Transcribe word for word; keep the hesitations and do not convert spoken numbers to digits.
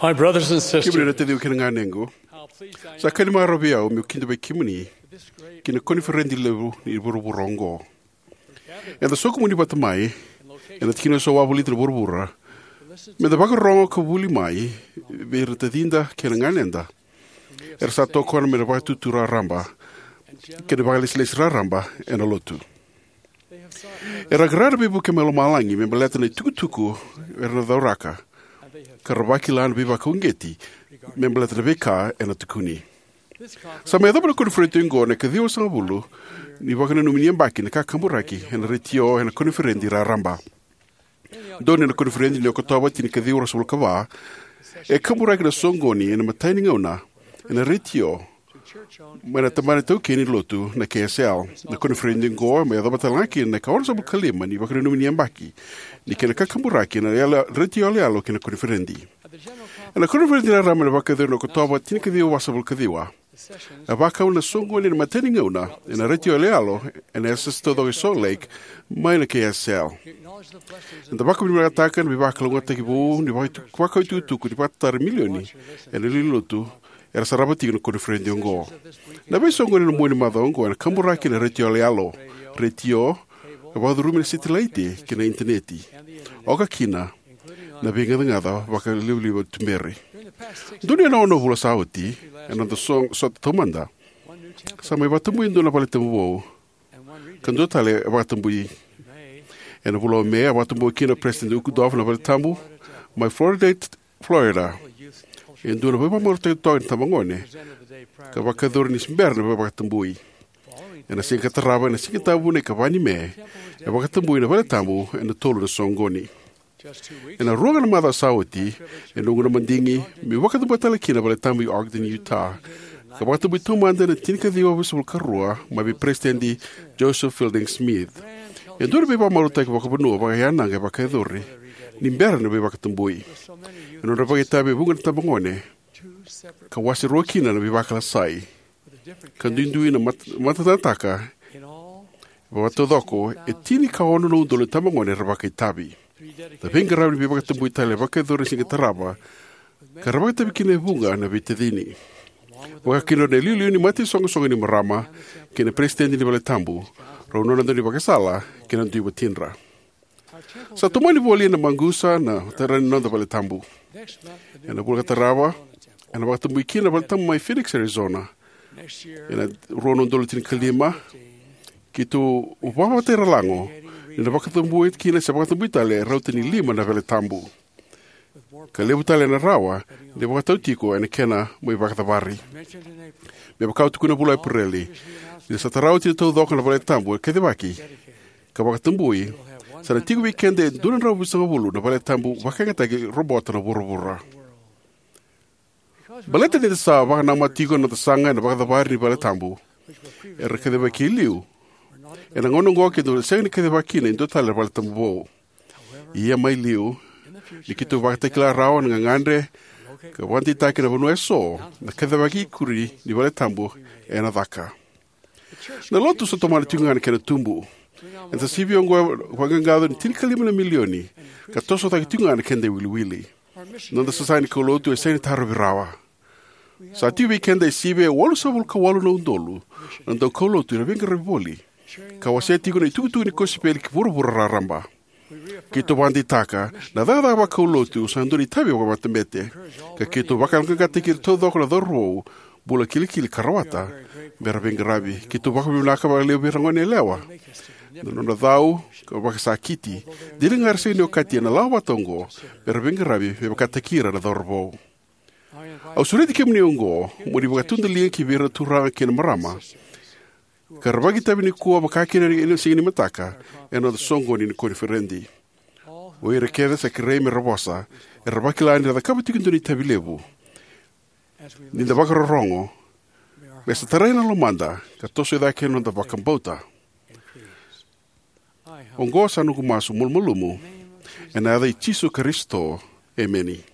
My brothers and sisters, kemuni na taciqu kei na ganequ, sa ka ni marau vei au meu kidavaki kemuni ki na koniferedi levu ni vuravura oqo. Eda sokumuni vata mai ena tikina eso wavolita na vuravura meda vakarorogo ka vuli mai vei ira na tacida kei na ganeda era sa tokona mai na Vakaitutu Raraba kei na vakalesilesi raraba ena Lotu. Era qara na veivuke mai lomalagi me baleta na itukutuku era na cauraka, ka ra vakila na veivakauqeti me baleta na veika ena tukuni. Sa mai yacova na koniferedi oqo na ikaciwasagavulu ni vakananumi ni yabaki na kakaburaki ena retio ena koniferedi raraba. Donuya na koniferedi ni Okotova tinikaciwa ruasagavulu ka va, e kaburaki na soqoni ena imatai ni gauna ena retio mai na tabana taukei ni Lotu na K S L. Na koniferedi oqo e mai yacova talega kina na ikaonosagavulu ka lima ni vakananumi ni yabaki ni kena kakaburaki ena yalo, retio yaloyalo kei na koniferedi. Ena koniferedi raraba ena vakayacori ena Okotova tinikaciwa vasagavulu ka ciwa, e vakau na soqoni ena imatai ni gauna ena retio yaloyalo ena yasayasa taucoko e Salt Lake mai na K S L. Eda vakavinavinakataka na veivakalougatataki vou ni vakaitu-, vakaitukutuku ni vakatataro e milioni ena lewe ni Lotu era sarava tiko na koniferedi oqo. Na veisoqoni ena mua ni macawa oqo ena kaburaki ena retio yaloyalo, retio, e vakacurumi ena setilaiti kei na initaneti, oka kina na veigacagaca vakalivaliva tuberi. Donuya na ono na vula sa oti, ena noda so-, sota taumada, sa mai vakatabui e dua na valetabu vou, ka dua tale e vakatabui. Ena vula o Me, a vakatabui kina o Peresitedi Uchtdorf na valetabu mai Floridate, Florida. E dua na veivakamarautaki totoka ni tabagone ka vakayacori ni se bera na veivakatabui. Ena siga ka tarava, ena Sigatabu na ikava ni Me, e vakatabui na valetabu ena tolu na soqoni. Ena rua ga na macawa sa oti, e noqu na madigi meu vakatabua tale kina na valetabu i Ogden, Utah, ka vakatabui taumada ena tinikaciwa vasagavulu ka rua mai vei Peresitedi Joseph Fielding Smith. E dua na veivakamarautaki vakavanua vakayanaqa e vakayacori ni bera na veivakatabui. E nodra vakaitavi e vuqa na tabagone, ka wase rua kina na veivakalasai, ka duidui na mat-, matatataka. Vakataucoko e tini ka ono na udolu na tabagone era vakaitavi. Na veiqaravi ni veivakatabui tale e vakayacori ena siga tarava, ka ra vakaitavi kina e vuqa na veitacini, vaka kina o ira na iliuliu ni mataisoqosoqo ni marama kei na peresitedi ni valetabu, rau nona daunivakasala kei na dui watidra. Sa tomani voli ena maqusa na tara ni noda valetabu. Ena vula ka tarava, ena vakatabui kina na valetabu mai Phoenix, Arizona. Ena rua na udolu tinikalima, keitou vakavatairalago ni na vakatabui kina se vakatabui tale e rauta ni lima na valetabu, ka levu tale ena rawa ni vakatau tiko ena kena mai vakacavari. Me vaka au tukuna ena vula o Epereli, ni sa tara oti na taucoko na valetabu e kacivaki ka vakatabui, sa na tiko vei keda e dua na drau vitusagavulu na valetabu vakayagataki robota na vuravura. Baleta ni da sa vakanamata tiko na noda saga ena vakacavari ni valetabu era kacivaki e liu, ena gauna oqo keitou sega ni kacivaka kina e dua tale na valetabu vou. Ia mai liu, ni keitou vakatakila rawa na gagadre ka vakadeitaka ena vanua eso na kacivaki ikuri ni valetabu ena caka. Na Lotu sa tomana tiko ga na kena tubu. Eda sa sivia oqo e vaqaqaco ni tinikalima na milioni, ka toso cake tiko ga na keda iwiliwili. Na noda sasaga ni kaulotu e sega ni tarovi rawa. Sa tiko vei keda e sivia e walusagavulu ka walu na udolu na daukaulotu era veiqaravi voli, ka wasea tiko na itukutuku ni kosipeli ki vuravura raraba. Keitou vakadeitaka na cakacaka vakaulotu sa dua na itavi vakamatabete, ka keitou vakayaloqaqataki ira taucoko na cauravou bula kilikili ka rawata me ra veiqaravi. Keitou vakavinavinaka vakalevu vei ira na goneyalewa na nodra cau ka vakasakiti, dina ga era sega ni okati ena lawa vata oqo me ra veiqaravi me vakataki ira na cauravou. Au sureti kemuni oqo mo ni vakatudaliga ki vei ira na turaga kei na marama ka ra vakaitavi nikua vaka kina ena siga ni mataka ena noda soqoni ni koniferedi. O ira kece sa kerei me ra vosa era vakila ni ra cakava tiko e dua na itavi levu. Ni da vakarorogo, me sa tarai na lomada ka toso cake na noda vakabauta. Oqo sa noqu masu malumalumu ena yaca i Jisu Karisito. Emeni.